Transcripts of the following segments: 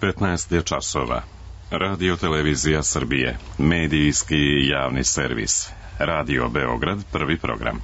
15 je časova. Radio Televizija Srbije, medijski javni servis. Radio Beograd, prvi program.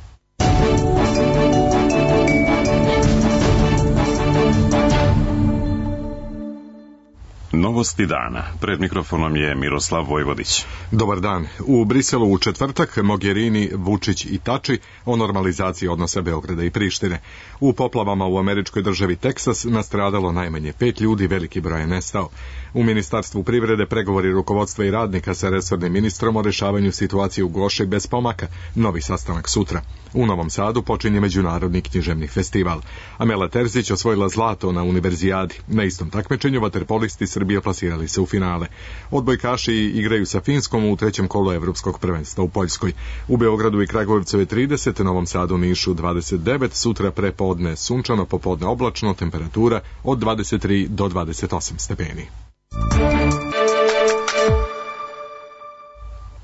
Novosti dana. Pred mikrofonom je Miroslav Vojvodić. Dobar dan. U Briselu u četvrtak Mogherini, Vučić i Tači o normalizaciji odnosa Beograda i Prištine. U poplavama u američkoj državi Teksas nastradalo najmanje 5 ljudi, veliki broj je nestao. U Ministarstvu privrede pregovori rukovodstva i radnika sa resornim ministrom o rešavanju situacije u Goši bez pomaka. Novi sastanak sutra. U Novom Sadu počinje Međunarodni književni festival. Amela Terzić osvojila zlato na Univerzijadi. Na istom takmičenju vaterpolisti Srbije plasirali se u finale. Odbojkaši igraju sa Finskom u trećem kolu Evropskog prvenstva u Poljskoj. U Beogradu i Kragujevcu je 30, Novom Sadu, Nišu 29, sutra prepodne sunčano, popodne oblačno, temperatura od 23 do 28 stepeni.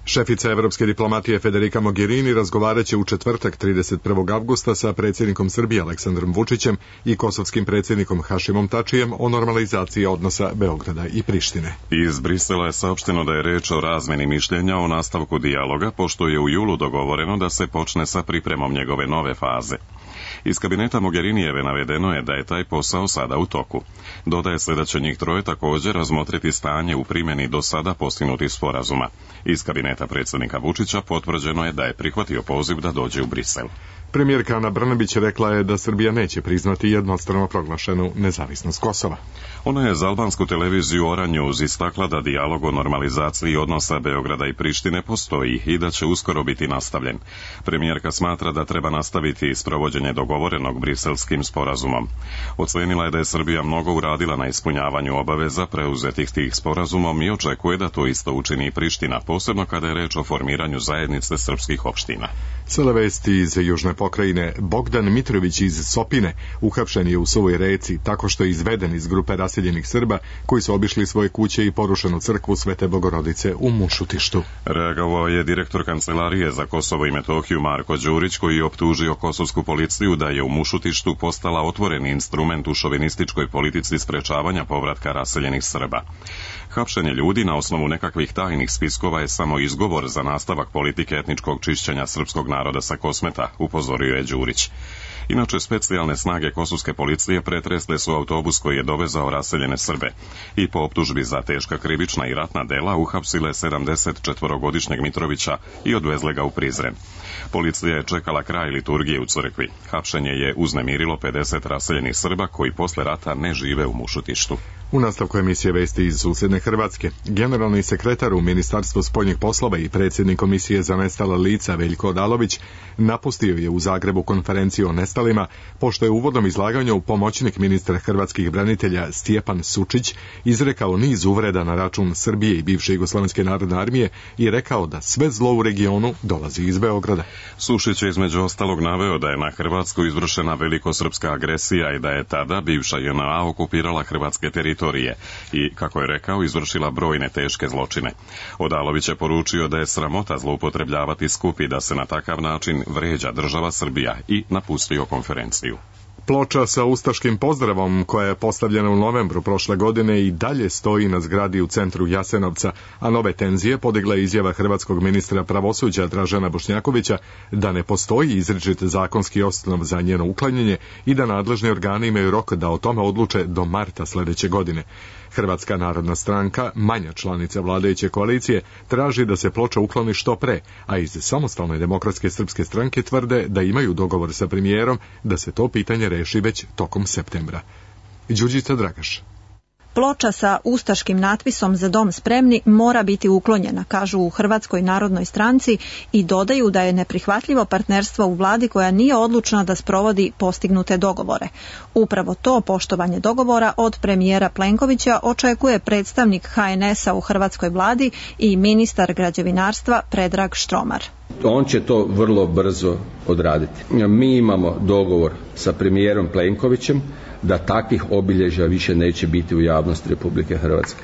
Šefica evropske diplomatije Federica Mogherini razgovaraće u četvrtak 31. avgusta sa predsjednikom Srbije Aleksandrom Vučićem i kosovskim predsjednikom Hašimom Tačijem o normalizaciji odnosa Beograda i Prištine. Iz Brisela je saopšteno da je reč o razmeni mišljenja o nastavku dijaloga, pošto je u julu dogovoreno da se počne sa pripremom njegove nove faze. Iz kabineta Mogherinijeve navedeno je da je taj posao sada u toku. Dodaje se da će njih troje također razmotriti stanje u primjeni do sada postignutih sporazuma. Iz kabineta predsjednika Vučića potvrđeno je da je prihvatio poziv da dođe u Brisel. Premijerka Ana Brnabić rekla je da Srbija neće priznati jednostrano proglašenu nezavisnost Kosova. Ona je za albansku televiziju Oranjuz istakla da dijalog o normalizaciji odnosa Beograda i Prištine postoji i da će uskoro biti nastavljen. Premijerka smatra da treba nastaviti sprovođenje dogovorenog briselskim sporazumom. Ocenila je da je Srbija mnogo uradila na ispunjavanju obaveza preuzetih tih sporazumom i očekuje da to isto učini i Priština, posebno kada je reč o formiranju zajednice srpskih opština. Sada vesti iz južne pokrajine. Bogdan Mitrović iz Sopine uhapšen je u Suvoj Reci tako što je izveden iz grupe raseljenih Srba koji su obišli svoje kuće i porušenu crkvu Svete Bogorodice u Mušutištu. Reagovao je direktor Kancelarije za Kosovo i Metohiju Marko Đurić, koji je optužio kosovsku policiju da je u Mušutištu postala otvoreni instrument u šovinističkoj politici sprečavanja povratka raseljenih Srba. Hapšenje ljudi na osnovu nekakvih tajnih spiskova je samo izgovor za nastavak politike etničkog čišćenja srpskog naroda sa Kosmeta, upozorio je Đurić. Inače, specijalne snage kosovske policije pretresle su autobus koji je dovezao raseljene Srbe i po optužbi za teška krivična i ratna dela uhapsile 74-godišnjeg Mitrovića i odvezle ga u Prizren. Policija je čekala kraj liturgije u crkvi. Hapšenje je uznemirilo 50 raseljenih Srba koji posle rata ne žive u Mušutištu. U nastavku emisije vesti iz susjedne Hrvatske. Generalni sekretar u Ministarstvu spoljnih poslova i predsjednik Komisije za nestala lica Veljko Odalović napustio je u Zagrebu konferenciju o nestalima, pošto je u uvodnom izlaganju pomoćnik ministra hrvatskih branitelja Stjepan Sučić izrekao niz uvreda na račun Srbije i bivše Jugoslovenske narodne armije i rekao da sve zlo u regionu dolazi iz Beograda. Sušić je između ostalog naveo da je na Hrvatsku izvršena velikosrpska agresija i da je tada bivša JNA okupirala hrvatske teritorije i, kako je rekao, izvršila brojne teške zločine. Odalović je poručio da je sramota zloupotrebljavati skup i da se na takav način vređa država Srbija i napustio konferenciju. Ploča sa ustaškim pozdravom koja je postavljena u novembru prošle godine i dalje stoji na zgradi u centru Jasenovca, a nove tenzije podigla je izjava hrvatskog ministra pravosuđa Dražena Bošnjakovića da ne postoji izričit zakonski osnov za njeno uklanjanje i da nadležni organi imaju rok da o tome odluče do marta sljedeće godine. Hrvatska narodna stranka, manja članica vladajuće koalicije, traži da se ploča ukloni što pre, a iz Samostalne demokratske srpske stranke tvrde da imaju dogovor sa premijerom da se to pitanje reši već tokom septembra. Đurđica Dragaš. Ploča sa ustaškim natpisom "Za dom spremni" mora biti uklonjena, kažu u Hrvatskoj narodnoj stranci i dodaju da je neprihvatljivo partnerstvo u vladi koja nije odlučna da sprovodi postignute dogovore. Upravo to poštovanje dogovora od premijera Plenkovića očekuje predstavnik HNS-a u hrvatskoj vladi i ministar građevinarstva Predrag Štromar. On će to vrlo brzo odraditi. Mi imamo dogovor sa premijerom Plenkovićem da takvih obilježja više neće biti u javnosti Republike Hrvatske.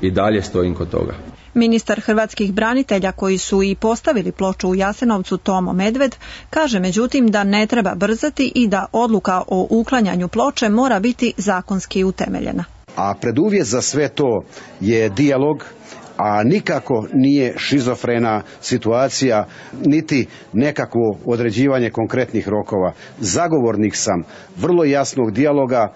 I dalje stojim kod toga. Ministar hrvatskih branitelja koji su i postavili ploču u Jasenovcu Tomo Medved kaže međutim da ne treba brzati i da odluka o uklanjanju ploče mora biti zakonski utemeljena. A preduvjet za sve to je dijalog, a nikako nije šizofrena situacija, niti nekakvo određivanje konkretnih rokova. Zagovornik sam vrlo jasnog dijaloga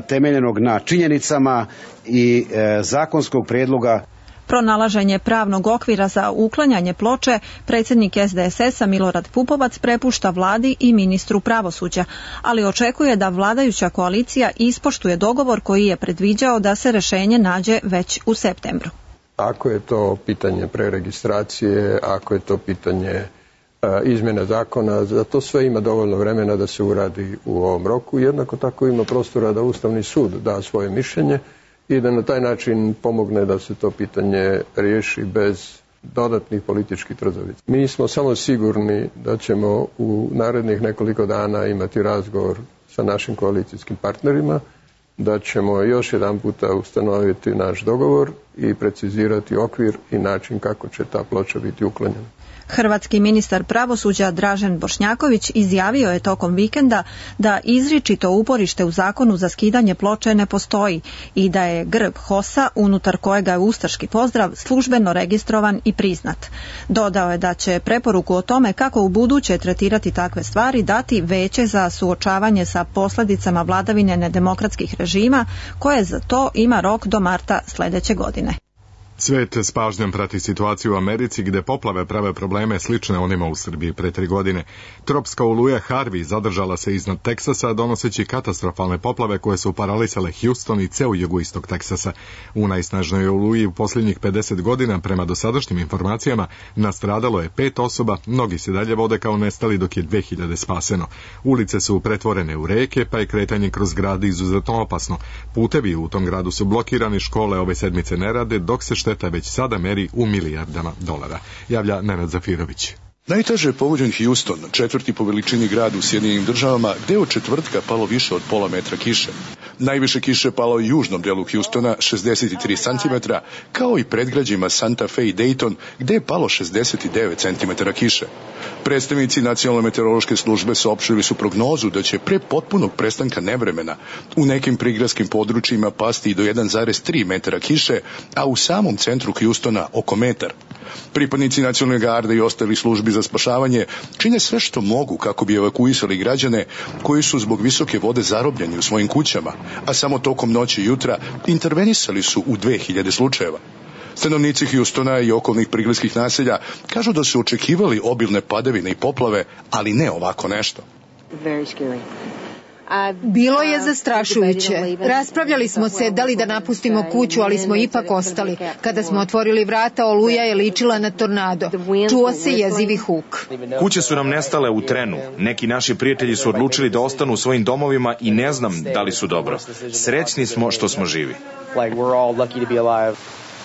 temeljenog na činjenicama i zakonskog prijedloga. Pronalaženje pravnog okvira za uklanjanje ploče predsjednik SDSS-a Milorad Pupovac prepušta vladi i ministru pravosuđa, ali očekuje da vladajuća koalicija ispoštuje dogovor koji je predviđao da se rješenje nađe već u septembru. Ako je to pitanje preregistracije, ako je to pitanje izmjene zakona, za to sve ima dovoljno vremena da se uradi u ovom roku. Jednako tako ima prostora da Ustavni sud da svoje mišljenje i da na taj način pomogne da se to pitanje riješi bez dodatnih političkih trzavica. Mi smo samo sigurni da ćemo u narednih nekoliko dana imati razgovor sa našim koalicijskim partnerima, da ćemo još jedan puta ustanoviti naš dogovor i precizirati okvir i način kako će ta ploča biti uklonjena. Hrvatski ministar pravosuđa Dražen Bošnjaković izjavio je tokom vikenda da izričito uporište u zakonu za skidanje ploče ne postoji i da je grb HOS-a, unutar kojega je ustaški pozdrav, službeno registrovan i priznat. Dodao je da će preporuku o tome kako u buduće tretirati takve stvari dati Veće za suočavanje sa posljedicama vladavine nedemokratskih režima, koje za to ima rok do marta sljedeće godine. Svijet s pažnjom prati situaciju u Americi gdje poplave prave probleme slične onima u Srbiji pre 3 godine. Tropska oluja Harvey zadržala se iznad Teksasa donoseći katastrofalne poplave koje su paralisale Houston i ceo jugoistok Teksasa. U najsnažnoj oluji u posljednjih 50 godina, prema dosadašnjim informacijama, nastradalo je 5 osoba, mnogi se dalje vode kao nestali dok je 2000 spaseno. Ulice su pretvorene u reke, pa je kretanje kroz grad izuzetno opasno. Putevi u tom gradu su blokirani, škole ove sedmice ne rade, dok se šteta već sada meri u milijardama dolara. Javlja Nenad Zafirović. Najteže je pogođen Houston, 4. po veličini grad u Sjedinjenim Državama, gde je od četvrtka palo više od pola metra kiše. Najviše kiše palo u južnom delu Houstona, 63 cm, kao i predgrađima Santa Fe i Dayton, gde je palo 69 cm kiše. Predstavnici Nacionalne meteorološke službe saopštili su prognozu da će pre potpunog prestanka nevremena u nekim prigradskim područjima pasti i do 1,3 metara kiše, a u samom centru Houstona oko metar. Pripadnici Nacionalne garde i ostali službi za spašavanje čine sve što mogu kako bi evakuisali građane koji su zbog visoke vode zarobljeni u svojim kućama, a samo tokom noći i jutra intervenisali su u 2000 slučajeva. Stanovnici Houstona i okolnih prigradskih naselja kažu da su očekivali obilne padavine i poplave, ali ne ovako nešto. Bilo je zastrašujuće. Raspravljali smo se da li da napustimo kuću, ali smo ipak ostali. Kada smo otvorili vrata, oluja je ličila na tornado. Čuo se jezivi huk. Kuće su nam nestale u trenu. Neki naši prijatelji su odlučili da ostanu u svojim domovima i ne znam da li su dobro. Srećni smo što smo živi.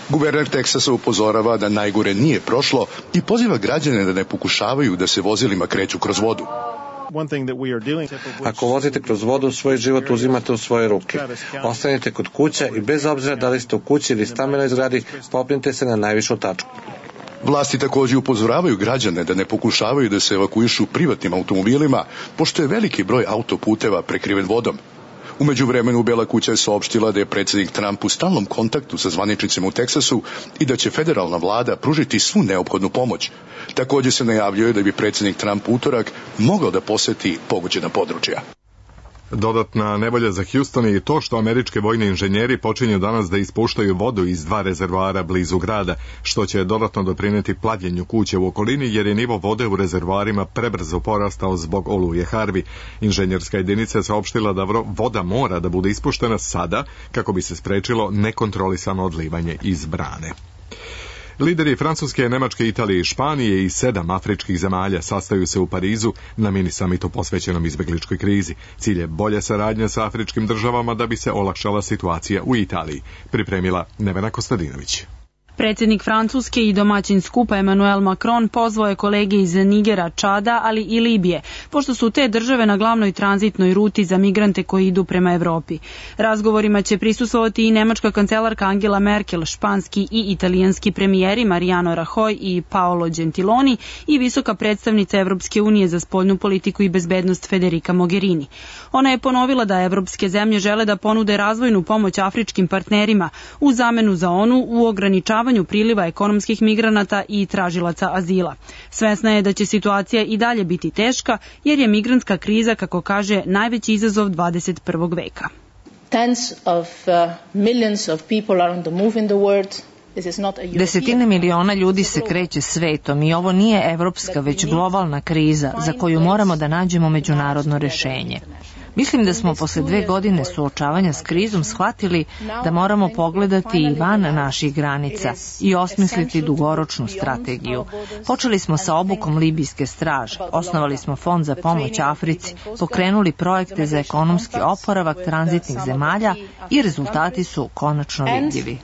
Guverner Teksasa upozorava da najgore nije prošlo i poziva građane da ne pokušavaju da se vozilima kreću kroz vodu. Ako vozite kroz vodu, svoj život uzimate u svoje ruke. Ostanite kod kuća i bez obzira da li ste u kući ili stambenoj zgradi, popnite se na najvišu tačku. Vlasti također upozoravaju građane da ne pokušavaju da se evakuišu privatnim automobilima, pošto je veliki broj autoputeva prekriven vodom. U međuvremenu Bela kuća je saopštila da je predsjednik Trump u stalnom kontaktu sa zvaničnicima u Teksasu i da će federalna vlada pružiti svu neophodnu pomoć. Također se najavljuje da bi predsjednik Trump utorak mogao da poseti pogođena područja. Dodatna nevolja za Houston je to što američke vojni inženjeri počinju danas da ispuštaju vodu iz 2 rezervoara blizu grada, što će dodatno doprinijeti plavljenju kuće u okolini jer je nivo vode u rezervoarima prebrzo porastao zbog oluje Harvey. Inženjerska jedinica je saopštila da voda mora da bude ispuštena sada kako bi se sprečilo nekontrolisano odlivanje iz brane. Lideri Francuske, Nemačke, Italije i Španije i 7 afričkih zemalja sastaju se u Parizu na mini samitu posvećenom izbjegličkoj krizi. Cilj je bolja saradnja sa afričkim državama da bi se olakšala situacija u Italiji, pripremila Nevena Kostadinović. Predsjednik Francuske i domaćin skupa Emmanuel Macron pozvao je kolege iz Nigera, Čada, ali i Libije, pošto su te države na glavnoj tranzitnoj ruti za migrante koji idu prema Evropi. Razgovorima će prisustvovati i nemačka kancelarka Angela Merkel, španski i italijanski premijeri Mariano Rajoy i Paolo Gentiloni i visoka predstavnica Evropske unije za spoljnu politiku i bezbednost Federica Mogherini. Ona je ponovila da evropske zemlje žele da ponude razvojnu pomoć afričkim partnerima u zamenu za onu u ograničavanju priliva ekonomskih migranata i tražilaca azila. Svesna je da će situacija i dalje biti teška, jer je migrantska kriza, kako kaže, najveći izazov 21. veka. Desetine miliona ljudi se kreće svetom i ovo nije evropska, već globalna kriza za koju moramo da nađemo međunarodno rešenje. Mislim da smo posle 2 godine suočavanja s krizom shvatili da moramo pogledati i van naših granica i osmisliti dugoročnu strategiju. Počeli smo sa obukom libijske straže, osnovali smo fond za pomoć Africi, pokrenuli projekte za ekonomski oporavak tranzitnih zemalja i rezultati su konačno vidljivi.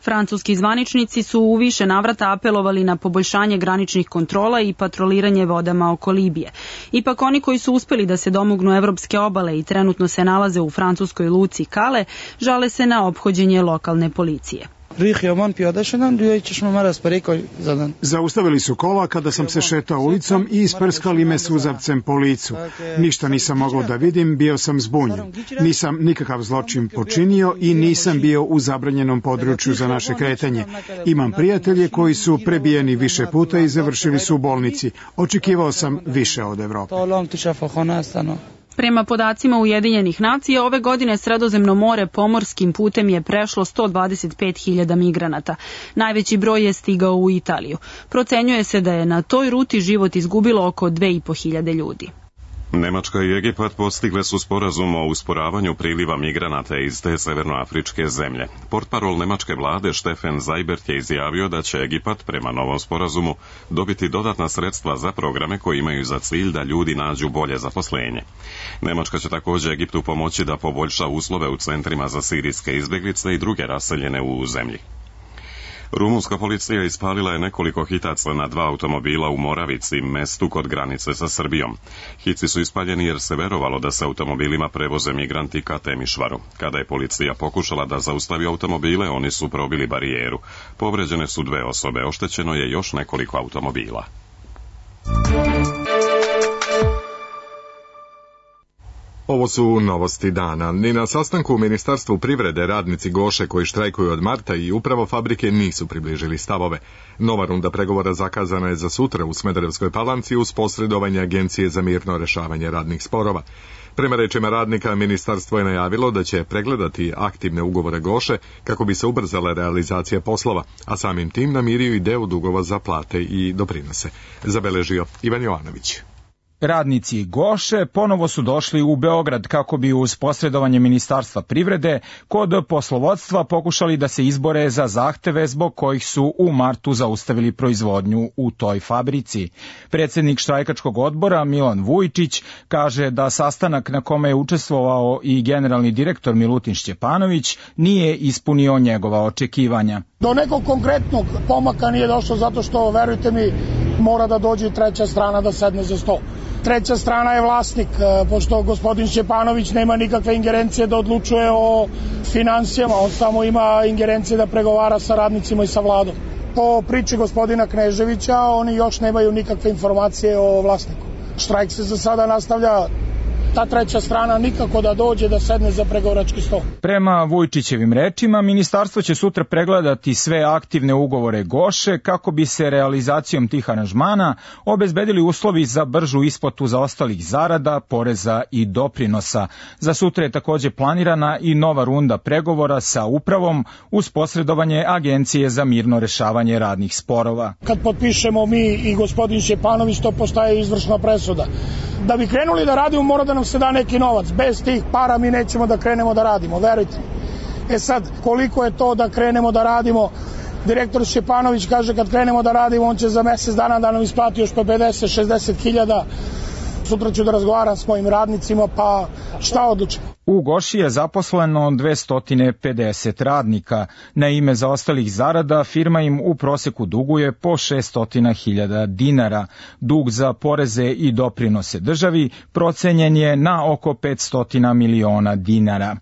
Francuski zvaničnici su u više navrata apelovali na poboljšanje graničnih kontrola i patroliranje vodama oko Libije. Ipak oni koji su uspeli da se domognu evropske obale i trenutno se nalaze u francuskoj luci Kale, žale se na ophođenje lokalne policije. Zaustavili su kola kada sam se šetao ulicom i isprskali me suzavcem po licu. Ništa nisam mogao da vidim, bio sam zbunjen. Nisam nikakav zločin počinio i nisam bio u zabranjenom području za naše kretanje. Imam prijatelje koji su prebijeni više puta i završili su u bolnici. Očekivao sam više od Evrope. Prema podacima Ujedinjenih nacija, ove godine Sredozemno more pomorskim putem je prešlo 125.000 migranata. Najveći broj je stigao u Italiju. Procenjuje se da je na toj ruti život izgubilo oko 2.500 ljudi. Nemačka i Egipat postigle su sporazum o usporavanju priliva migranata iz te severnoafričke zemlje. Portparol nemačke vlade Steffen Seibert je izjavio da će Egipat prema novom sporazumu dobiti dodatna sredstva za programe koji imaju za cilj da ljudi nađu bolje zaposlenje. Nemačka će također Egiptu pomoći da poboljša uslove u centrima za sirijske izbjeglice i druge raseljene u zemlji. Rumunska policija ispalila je nekoliko hitaca na 2 automobila u Moravici, mestu kod granice sa Srbijom. Hici su ispaljeni jer se verovalo da se automobilima prevoze migranti ka Temišvaru. Kada je policija pokušala da zaustavi automobile, oni su probili barijeru. Povređene su 2 osobe, oštećeno je još nekoliko automobila. Ovo su novosti dana. Ni na sastanku u Ministarstvu privrede radnici Goše koji štrajkuju od marta i upravo fabrike nisu približili stavove. Nova runda pregovora zakazana je za sutra u Smederevskoj Palanci uz posredovanje Agencije za mirno rešavanje radnih sporova. Prema rečima radnika, ministarstvo je najavilo da će pregledati aktivne ugovore Goše kako bi se ubrzala realizacija poslova, a samim tim namirio i deo dugova za plate i doprinose. Zabeležio Ivan Jovanović. Radnici Goše ponovo su došli u Beograd kako bi uz posredovanje Ministarstva privrede kod poslovodstva pokušali da se izbore za zahteve zbog kojih su u martu zaustavili proizvodnju u toj fabrici. Predsjednik štrajkačkog odbora Milan Vujčić kaže da sastanak na kome je učestvovao i generalni direktor Milutin Šćepanović nije ispunio njegova očekivanja. Do nekog konkretnog pomaka nije došlo zato što, verujte mi, mora da dođe i treća strana da sedne za sto. Treća strana je vlasnik, pošto gospodin Šćepanović nema nikakve ingerencije da odlučuje o finansijama, on samo ima ingerencije da pregovara sa radnicima i sa vladom. Po priči gospodina Kneževića, oni još nemaju nikakve informacije o vlasniku. Štrajk se za sada nastavlja, ta treća strana nikako da dođe da sedne za pregovarački sto. Prema Vujčićevim rečima, ministarstvo će sutra pregledati sve aktivne ugovore Goše kako bi se realizacijom tih aranžmana obezbedili uslovi za bržu isplatu zaostalih zarada, poreza i doprinosa. Za sutra je također planirana i nova runda pregovora sa upravom uz posredovanje Agencije za mirno rešavanje radnih sporova. Kad potpišemo mi i gospodin Šćepanović, to postaje izvršna presuda. Da bi krenuli da radimo, mora da nam se da neki novac. Bez tih para mi nećemo da krenemo da radimo, verujte. Sad, koliko je to da krenemo da radimo? Direktor Šćepanović kaže kad krenemo da radimo, on će za mjesec dana da nam isplati još po 50-60 hiljada. sutra ću da razgovaram s mojim radnicima, pa šta odlučim. U Goši je zaposleno 250 radnika. Na ime zaostalih zarada firma im u proseku duguje po 600.000 dinara. Dug za poreze i doprinose državi procenjen je na oko 500 miliona dinara.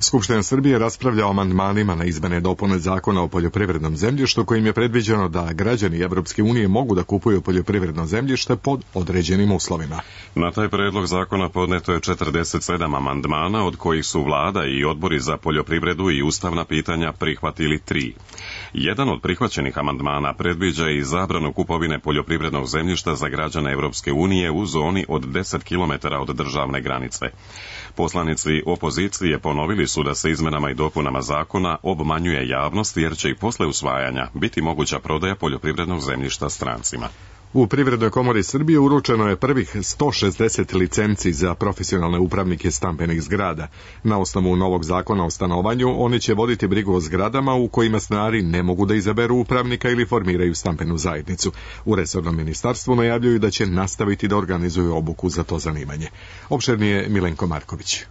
Skupština Srbije raspravlja o amandmanima na izmene i dopune zakona o poljoprivrednom zemljištu kojim je predviđeno da građani Evropske unije mogu da kupuju poljoprivredno zemljište pod određenim uslovima. Na taj predlog zakona podneto je 47 amandmana, od kojih su vlada i odbori za poljoprivredu i ustavna pitanja prihvatili 3. Jedan od prihvaćenih amandmana predviđa i zabranu kupovine poljoprivrednog zemljišta za građane Evropske unije u zoni od 10 km od državne granice. Poslanici opozicije ponovili su da se izmenama i dopunama zakona obmanjuje javnost jer će i posle usvajanja biti moguća prodaja poljoprivrednog zemljišta strancima. U Privrednoj komori Srbije uručeno je prvih 160 licenci za profesionalne upravnike stambenih zgrada. Na osnovu novog zakona o stanovanju, oni će voditi brigu o zgradama u kojima stanari ne mogu da izaberu upravnika ili formiraju stambenu zajednicu. U resornom ministarstvu najavljuju da će nastaviti da organizuju obuku za to zanimanje. Opširnije Milenko Marković.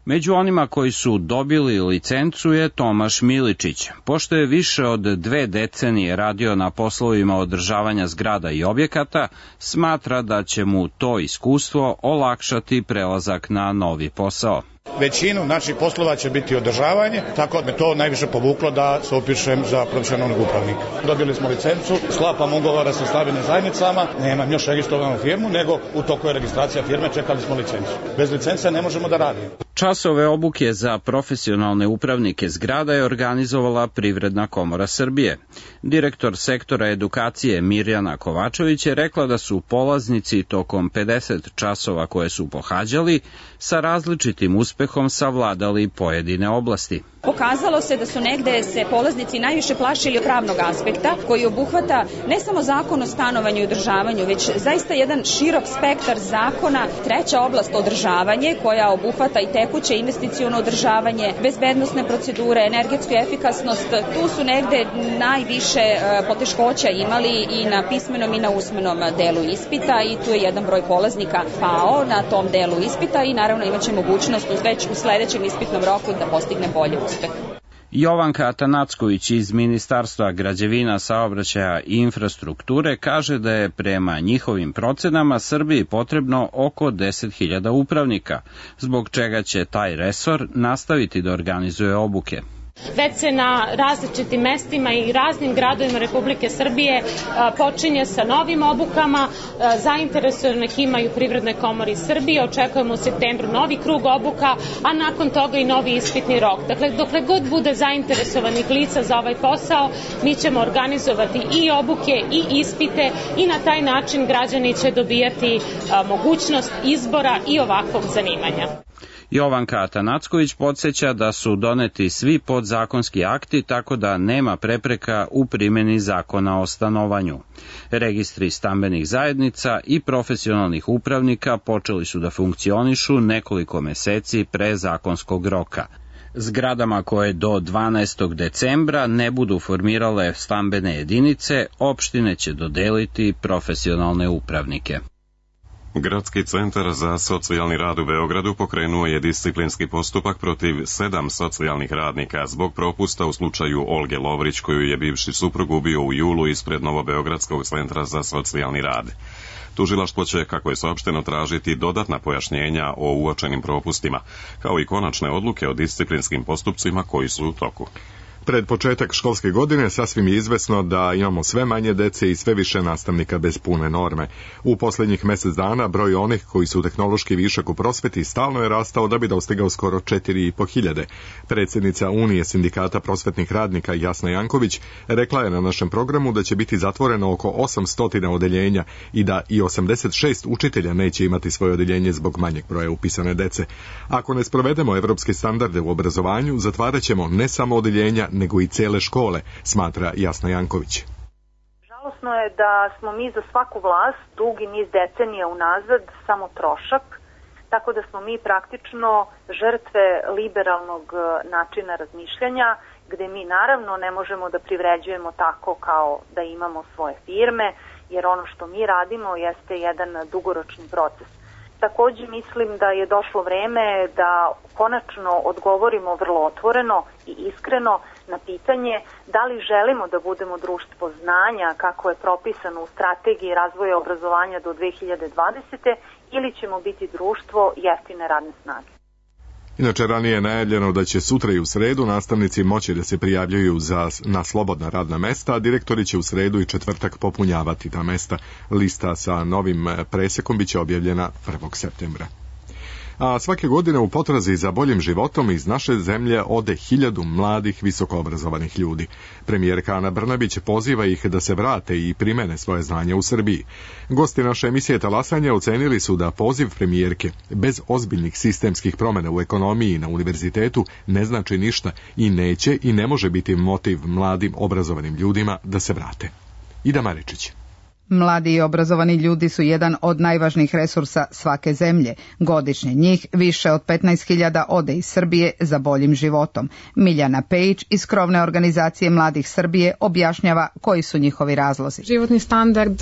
Među onima koji su dobili licencu je Tomaš Miličić. Pošto je više od 2 decenije radio na poslovima održavanja zgrada i objekata, smatra da će mu to iskustvo olakšati prelazak na novi posao. Većinu naših poslova će biti održavanje, tako da me to najviše povuklo da se upišem za profesionalnog upravnika. Dobili smo licencu, sklapam ugovora sa stambenim zajednicama, nemam još registrovanu firmu, nego u toku je registracija firme, čekali smo licencu. Bez licence ne možemo da radimo. Časove obuke za profesionalne upravnike zgrada je organizovala Privredna komora Srbije. Direktor sektora edukacije Mirjana Kovačević je rekla da su polaznici tokom 50 časova koje su pohađali sa različitim uspehom savladali pojedine oblasti. Pokazalo se da su negde se polaznici najviše plašili od pravnog aspekta, koji obuhvata ne samo zakon o stanovanju i održavanju, već zaista jedan širok spektar zakona. Treća oblast održavanje, koja obuhvata i tekuće investiciono održavanje, bezbednosne procedure, energetsku efikasnost. Tu su negde najviše poteškoća imali i na pismenom i na usmenom delu ispita i tu je jedan broj polaznika pao na tom delu ispita i naravno imaće mogućnost već u sledećem ispitnom roku da postigne bolje uspeh. Jovanka Atanacković iz Ministarstva građevina, saobraćaja i infrastrukture kaže da je prema njihovim procenama Srbiji potrebno oko 10.000 upravnika, zbog čega će taj resor nastaviti da organizuje obuke. Već se na različitim mestima i raznim gradovima Republike Srbije počinje sa novim obukama. Zainteresovanih ima i u Privrednoj komori Srbije. Očekujemo u septembru novi krug obuka, a nakon toga i novi ispitni rok. Dakle, dokle god bude zainteresovanih lica za ovaj posao, mi ćemo organizovati i obuke i ispite i na taj način građani će dobijati mogućnost izbora i ovakvog zanimanja. Jovanka Atanacković podsjeća da su doneti svi podzakonski akti, tako da nema prepreka u primjeni zakona o stanovanju. Registri stambenih zajednica i profesionalnih upravnika počeli su da funkcionišu nekoliko meseci pre zakonskog roka. Zgradama koje do 12. decembra ne budu formirale stambene jedinice, opštine će dodeliti profesionalne upravnike. Gradski centar za socijalni rad u Beogradu pokrenuo je disciplinski postupak protiv 7 socijalnih radnika zbog propusta u slučaju Olge Lovrić, koju je bivši suprug ubio u julu ispred Novobeogradskog centra za socijalni rad. Tužilaštvo će, kako je saopšteno, tražiti dodatna pojašnjenja o uočenim propustima, kao i konačne odluke o disciplinskim postupcima koji su u toku. Pred početak školske godine sasvim je izvesno da imamo sve manje dece i sve više nastavnika bez pune norme. U posljednjih mjesec dana broj onih koji su tehnološki višak u prosveti stalno je rastao da bi dostigao skoro 4.500. Predsjednica Unije sindikata prosvetnih radnika Jasna Janković rekla je na našem programu da će biti zatvoreno oko 800 odeljenja i da i 86 učitelja neće imati svoje odeljenje zbog manjeg broja upisane dece. Ako ne sprovedemo evropske standarde u obrazovanju, zatvarat ćemo ne samo odeljenja, nego i cele škole, smatra Jasna Janković. Žalosno je da smo mi za svaku vlast dugi niz decenija unazad samo trošak, tako da smo mi praktično žrtve liberalnog načina razmišljanja, gde mi naravno ne možemo da privređujemo tako kao da imamo svoje firme, jer ono što mi radimo jeste jedan dugoročni proces. Takođe mislim da je došlo vreme da konačno odgovorimo vrlo otvoreno i iskreno na pitanje da li želimo da budemo društvo znanja kako je propisano u strategiji razvoja obrazovanja do 2020. ili ćemo biti društvo jeftine radne snage. Inače, ranije je najavljeno da će sutra i u sredu nastavnici moći da se prijavljuju na slobodna radna mesta, a direktori će u sredu i četvrtak popunjavati ta mesta. Lista sa novim presekom biće objavljena 1. septembra. A svake godine u potrazi za boljim životom iz naše zemlje ode 1000 mladih visokoobrazovanih ljudi. Premijerka Ana Brnabić poziva ih da se vrate i primene svoje znanje u Srbiji. Gosti naše emisije Talasanja ocenili su da poziv premijerke bez ozbiljnih sistemskih promjena u ekonomiji na univerzitetu ne znači ništa i neće i ne može biti motiv mladim obrazovanim ljudima da se vrate. Ida Maričić. Mladi i obrazovani ljudi su jedan od najvažnijih resursa svake zemlje. Godišnje njih više od 15.000 ode iz Srbije za boljim životom. Miljana Pejić iz krovne organizacije Mladih Srbije objašnjava koji su njihovi razlozi. Životni standard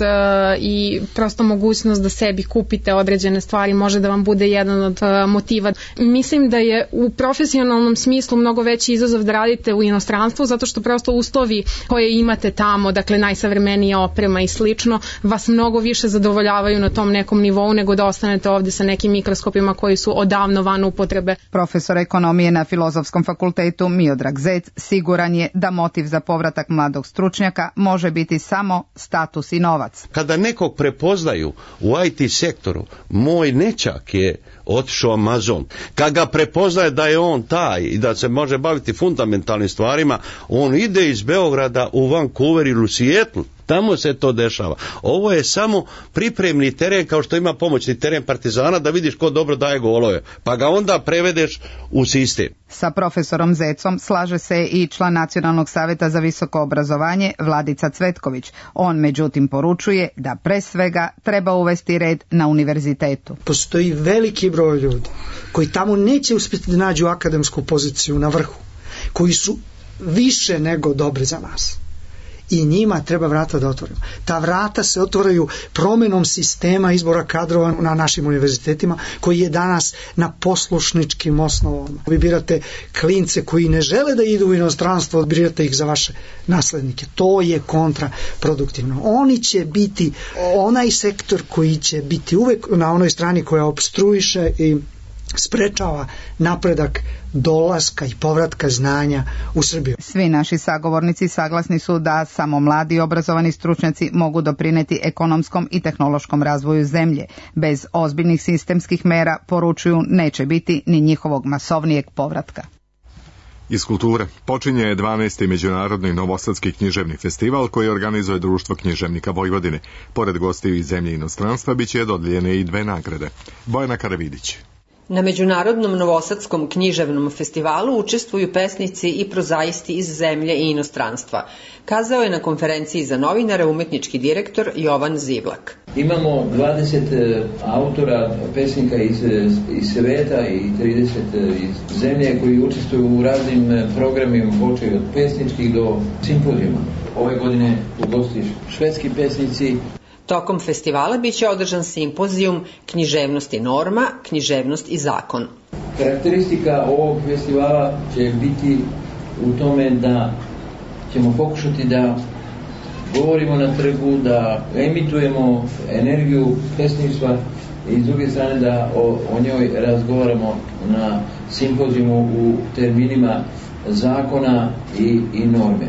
i prosto mogućnost da sebi kupite određene stvari može da vam bude jedan od motiva. Mislim da je u profesionalnom smislu mnogo veći izazov da radite u inostranstvu zato što prosto uslovi koje imate tamo, dakle najsavremenija oprema i slično, vas mnogo više zadovoljavaju na tom nekom nivou nego da ostanete ovdje sa nekim mikroskopima koji su odavno van upotrebe. Profesor ekonomije na Filozofskom fakultetu Miodrag Zec siguran je da motiv za povratak mladog stručnjaka može biti samo status i novac. Kada nekog prepoznaju u IT sektoru, moj nećak je otišao Amazon. Kad ga prepoznaje da je on taj i da se može baviti fundamentalnim stvarima, on ide iz Beograda u Vancouver ili u Seattle. Tamo se to dešava. Ovo je samo pripremni teren kao što ima pomoćni teren Partizana da vidiš ko dobro daje golove. Pa ga onda prevedeš u sistem. Sa profesorom Zecom slaže se i član Nacionalnog savjeta za visoko obrazovanje Vladica Cvetković. On međutim poručuje da pre svega treba uvesti red na univerzitetu. Postoji veliki broj ljudi koji tamo neće uspjeti da nađu akademsku poziciju na vrhu, koji su više nego dobri za nas. I njima treba vrata da otvorimo. Ta vrata se otvaraju promjenom sistema izbora kadrova na našim univerzitetima koji je danas na poslušničkim osnovama. Vi birate klince koji ne žele da idu u inostranstvo, birate ih za vaše naslednike. To je kontraproduktivno. Oni će biti onaj sektor koji će biti uvek na onoj strani koja opstruiše i sprečava napredak dolaska i povratka znanja u Srbiju. Svi naši sagovornici saglasni su da samo mladi i obrazovani stručnjaci mogu doprineti ekonomskom i tehnološkom razvoju zemlje. Bez ozbiljnih sistemskih mera, poručuju, neće biti ni njihovog masovnijeg povratka. Iz kulture počinje 12. Međunarodni novosadski književni festival koji organizuje Društvo književnika Vojvodine. Pored gostiju iz zemlje i inostranstva biće dodijeljene i 2 nagrade. Bojana Karavidić. Na Međunarodnom novosadskom književnom festivalu učestvuju pesnici i prozaisti iz zemlje i inostranstva, kazao je na konferenciji za novinare umetnički direktor Jovan Zivlak. Imamo 20 autora, pesnika iz sveta i 30 iz zemlje koji učestvuju u raznim programima, počeju od pesničkih do simpozijuma. Ove godine ugostiš švedski pesnici. Tokom festivala biće održan simpozijum Književnost i norma, književnost i zakon. Karakteristika ovog festivala će biti u tome da ćemo pokušati da govorimo na trgu, da emitujemo energiju pesništva i s druge strane da o njoj razgovaramo na simpozijumu u terminima zakona i norme.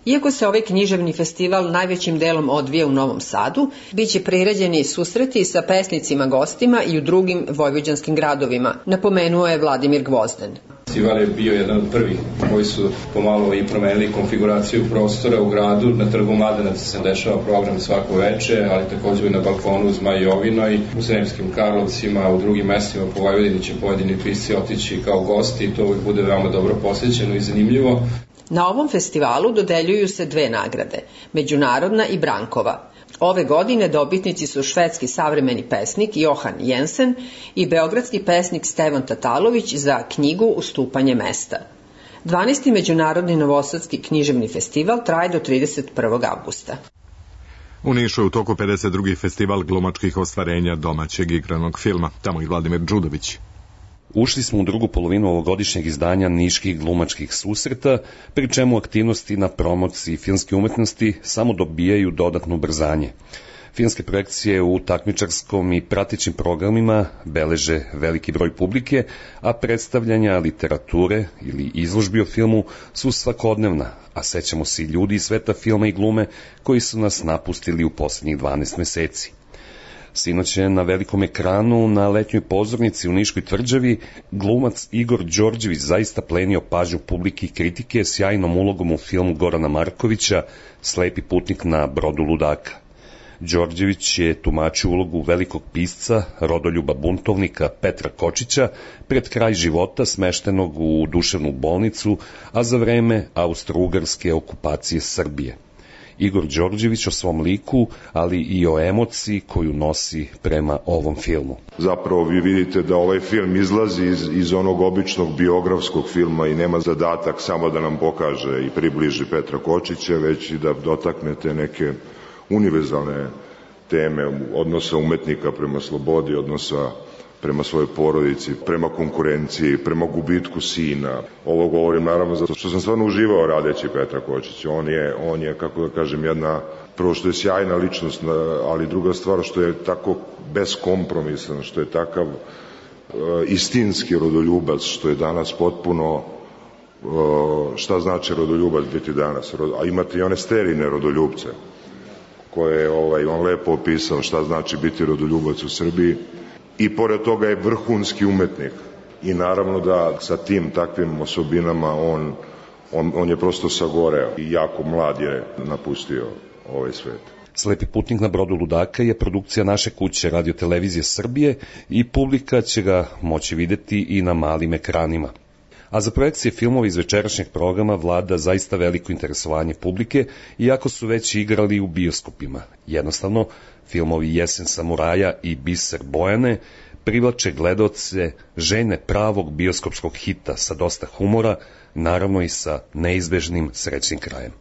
Iako se ovaj književni festival najvećim delom odvija u Novom Sadu, bit će priređeni susreti sa pesnicima gostima i u drugim vojvođanskim gradovima, napomenuo je Vladimir Gvozden. Festival je bio jedan od prvih koji su pomalo i promenili konfiguraciju prostora u gradu. Na Trgu Mladenaca se dešava program svako veče, ali također i na balkonu u Zmajovinoj, u Sremskim Karlovcima, u drugim mestima po Vojvodini će pojedini pisci otići kao gosti i to uvijek bude veoma dobro posjećeno i zanimljivo. Na ovom festivalu dodeljuju se 2 nagrade, međunarodna i Brankova. Ove godine dobitnici su švedski savremeni pesnik Johan Jensen i beogradski pesnik Stevan Tatalović za knjigu Ustupanje mesta. 12. Međunarodni novosadski književni festival traje do 31. avgusta. U Nišu je u toku 52. festival glumačkih ostvarenja domaćeg igranog filma. Tamo i Vladimir Đudović. Ušli smo u drugu polovinu ovogodišnjeg izdanja niških glumačkih susreta, pri čemu aktivnosti na promociji filmske umetnosti samo dobijaju dodatno ubrzanje. Filmske projekcije u takmičarskom i pratećim programima beleže veliki broj publike, a predstavljanja literature ili izložbi o filmu su svakodnevna, a sećamo se i ljudi iz sveta filma i glume koji su nas napustili u poslednjih 12 meseci. Sinoć je na velikom ekranu na letnjoj pozornici u Niškoj tvrđavi glumac Igor Đorđević zaista plenio pažnju publike i kritike sjajnom ulogom u filmu Gorana Markovića Slepi putnik na brodu ludaka. Đorđević je tumačio ulogu velikog pisca, rodoljuba buntovnika Petra Kočića pred kraj života smeštenog u duševnu bolnicu, a za vreme austro-ugarske okupacije Srbije. Igor Đorđević o svom liku, ali i o emociji koju nosi prema ovom filmu. Zapravo vi vidite da ovaj film izlazi iz onog običnog biografskog filma i nema zadatak samo da nam pokaže i približi Petra Kočića, već i da dotaknete neke univerzalne teme odnosa umetnika prema slobodi, odnosa prema svojoj porodici, prema konkurenciji, prema gubitku sina. Ovo govorim naravno zato što sam stvarno uživao radeći Petra Kočića. On je, kako da kažem, prvo što je sjajna ličnost, ali druga stvar što je tako beskompromisan, što je takav istinski rodoljubac, što je danas potpuno šta znači rodoljubac biti danas. A imate i one sterilne rodoljubce koje je on lepo opisao šta znači biti rodoljubac u Srbiji. I pored toga je vrhunski umetnik. I naravno da sa tim takvim osobinama on je prosto sagoreo i jako mlad je napustio ovaj svet. Slepi putnik na brodu ludaka je produkcija naše kuće Radio-televizije Srbije i publika će ga moći videti i na malim ekranima. A za projekcije filmova iz večerašnjeg programa vlada zaista veliko interesovanje publike, iako su već igrali u bioskopima. Jednostavno, filmovi Jesen samuraja i Biser Bojane privlače gledaoce željne pravog bioskopskog hita sa dosta humora, naravno i sa neizbežnim srećnim krajem.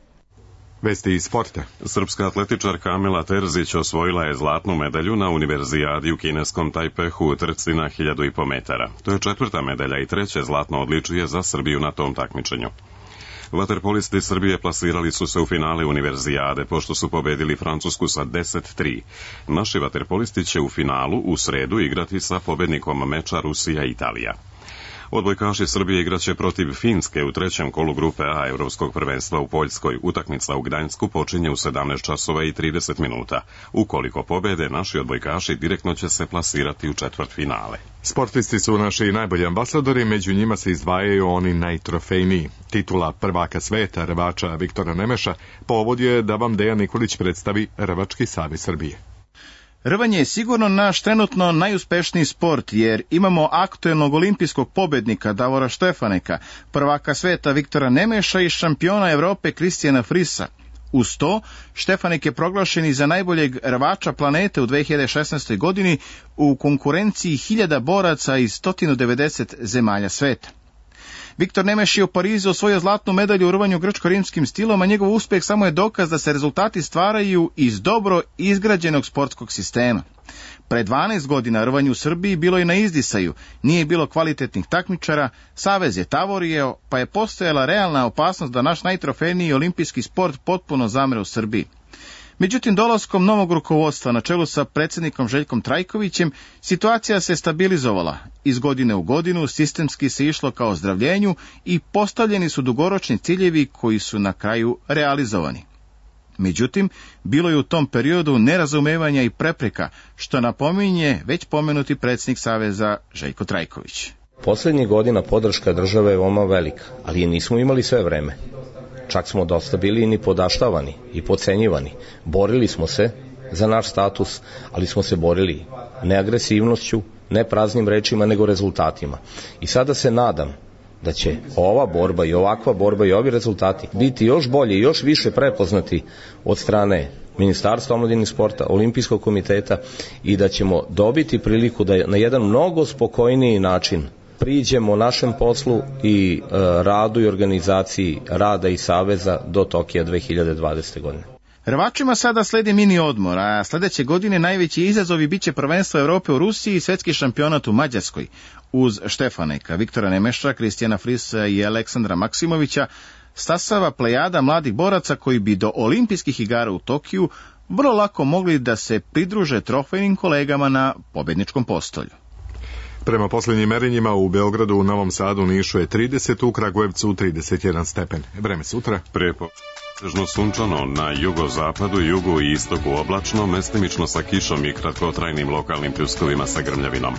Vesti iz sporta. Srpska atletičarka Amela Terzić osvojila je zlatnu medalju na univerzijadi u kineskom Tajpehu u trci na 1500 metara. To je 4. medalja i 3. zlatno odličje za Srbiju na tom takmičenju. Vaterpolisti Srbije plasirali su se u finale univerzijade pošto su pobedili Francusku sa 10-3. Naši vaterpolisti će u finalu u sredu igrati sa pobednikom meča Rusija-Italija. Odbojkaši Srbije igraće protiv Finske u 3. kolu grupe A Evropskog prvenstva u Poljskoj. Utakmica u Gdańsku počinje u 17 časova i 30 minuta. Ukoliko pobede, naši odbojkaši direktno će se plasirati u četvrtfinale. Sportisti su naši najbolji ambasadori, među njima se izdvajaju oni najtrofejniji. Titula prvaka sveta rvača Viktora Nemeša povod je da vam Dejan Nikolić predstavi Rvački savez Srbije. Rvanje je sigurno naš trenutno najuspešniji sport, jer imamo aktuelnog olimpijskog pobednika Davora Štefaneka, prvaka sveta Viktora Nemeša i šampiona Evrope Kristijana Frisa. Uz to, Štefanek je proglašen i za najboljeg rvača planete u 2016. godini u konkurenciji 1000 boraca iz 190 zemalja sveta. Viktor Nemeš je u Parizu osvojio zlatnu medalju u rvanju grčko-rimskim stilom, a njegov uspeh samo je dokaz da se rezultati stvaraju iz dobro izgrađenog sportskog sistema. Pre 12 godina rvanje u Srbiji bilo je na izdisaju, nije bilo kvalitetnih takmičara, savez je tavorio, pa je postojala realna opasnost da naš najtrofejniji olimpijski sport potpuno zamre u Srbiji. Međutim, dolaskom novog rukovodstva na čelu sa predsjednikom Željkom Trajkovićem, situacija se stabilizovala. Iz godine u godinu sistemski se išlo ka ozdravljenju i postavljeni su dugoročni ciljevi koji su na kraju realizovani. Međutim, bilo je u tom periodu nerazumevanja i prepreka, što napominje već pomenuti predsjednik Saveza Željko Trajković. Poslednjih godina podrška države je veoma velika, ali je nismo imali sve vreme. Čak smo dosta bili i nipodaštavani i podcenjivani. Borili smo se za naš status, ali smo se borili ne agresivnošću, ne praznim rečima, nego rezultatima. I sada se nadam da će ova borba i ovakva borba i ovi rezultati biti još bolje i još više prepoznati od strane Ministarstva omladine i sporta, Olimpijskog komiteta i da ćemo dobiti priliku da na jedan mnogo spokojniji način priđemo našem poslu i radu i organizaciji rada i saveza do Tokija 2020. godine. Rvačima sada sledi mini odmor, a sledeće godine najveći izazovi biće prvenstvo Evrope u Rusiji i svetski šampionat u Mađarskoj. Uz Štefaneka, Viktora Nemeša, Kristijana Frisa i Aleksandra Maksimovića stasava plejada mladih boraca koji bi do olimpijskih igara u Tokiju vrlo lako mogli da se pridruže trofejnim kolegama na pobedničkom postolju. Prema posljednjim merenjima u Beogradu, u Novom Sadu, Nišu je 30, u Kragujevcu 31 stepen. Vreme sutra. Pretežno sunčano, na jugozapadu, jugu i istoku oblačno, mestimično sa kišom i kratkotrajnim lokalnim pljuskovima sa grmljavinom.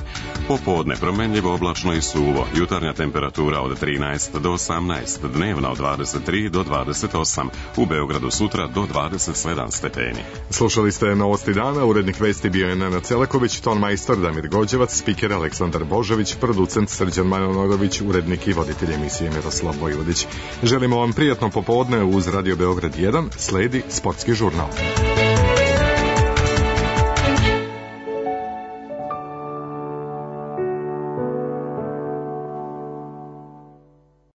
Popodne promenljivo, oblačno i suvo, jutarnja temperatura od 13 do 18, dnevna od 23 do 28, u Beogradu sutra do 27 stepeni. Slušali ste Novosti dana, urednik vesti bio je Nenad Celaković, ton majstor Damir Gođevac, spiker Aleksandar Božović, producent Srđan Manojlović, urednik i voditelj emisije Miroslav Vojvodić. Želimo vam prijatno popodne uz Radio Beograd 1, sledi sportski žurnal.